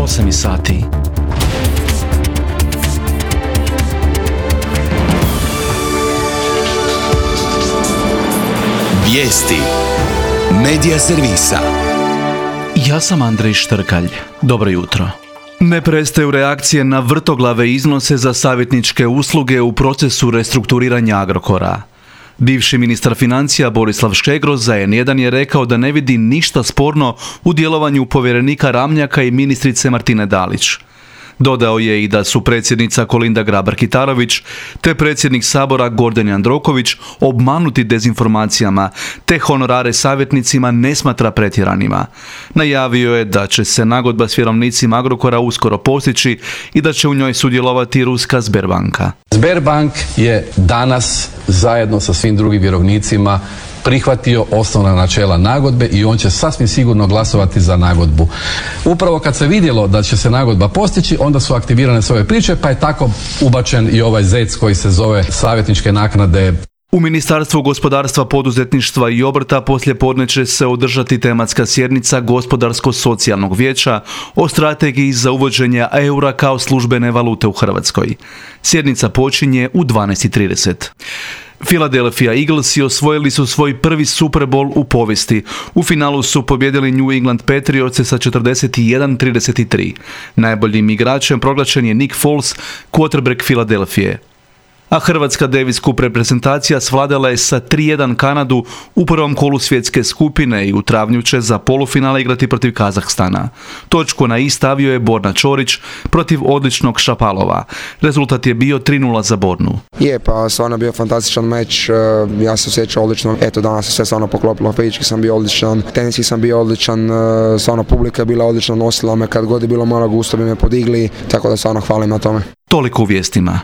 8 sati. Vijesti Medija servisa. Ja sam Andrej Štrkalj. Dobro jutro. Ne prestaju reakcije na vrtoglave iznose za savjetničke usluge u procesu restrukturiranja Agrokora. Bivši ministar financija Borislav Škegro za N1 je rekao da ne vidi ništa sporno u djelovanju povjerenika Ramljaka i ministrice Martine Dalić. Dodao je i da su predsjednica Kolinda Grabar-Kitarović te predsjednik Sabora Gordan Jandroković obmanuti dezinformacijama, te honorare savjetnicima ne smatra pretjeranima. Najavio je da će se nagodba s vjerovnicima Agrokora uskoro postići i da će u njoj sudjelovati ruska Sberbanka. Sberbank je danas zajedno sa svim drugim vjerovnicima prihvatio osnovna načela nagodbe i on će sasvim sigurno glasovati za nagodbu. Upravo kad se vidjelo da će se nagodba postići, onda su aktivirane sve ove priče, pa je tako ubačen i ovaj zec koji se zove savjetničke naknade. U Ministarstvu gospodarstva, poduzetništva i obrta poslijepodne će se održati tematska sjednica Gospodarsko-socijalnog vijeća o strategiji za uvođenje eura kao službene valute u Hrvatskoj. Sjednica počinje u 12:30. Philadelphia Eaglesi osvojili su svoj prvi Super Bowl u povijesti. U finalu su pobjedili New England Patriotse sa 41-33. Najboljim igračem proglašen je Nick Foles, quarterback Philadelphije. A hrvatska Davis Cup reprezentacija svladala je sa 3:1 Kanadu u prvom kolu svjetske skupine i u travnju će za polufinale igrati protiv Kazahstana. Točku na i stavio je Borna Čorić protiv odličnog Šapalova. Rezultat je bio 3:0 za Bornu. Pa stvarno bio fantastičan meč, ja se osjećao odlično. Danas se sve stvarno poklopilo, fizički sam bio odličan, teniski sam bio odličan, stvarno publika je bila odlična, nosila me kad god je bilo malo gusto bi me podigli, tako da stvarno hvalim na tome. Toliko u vijestima.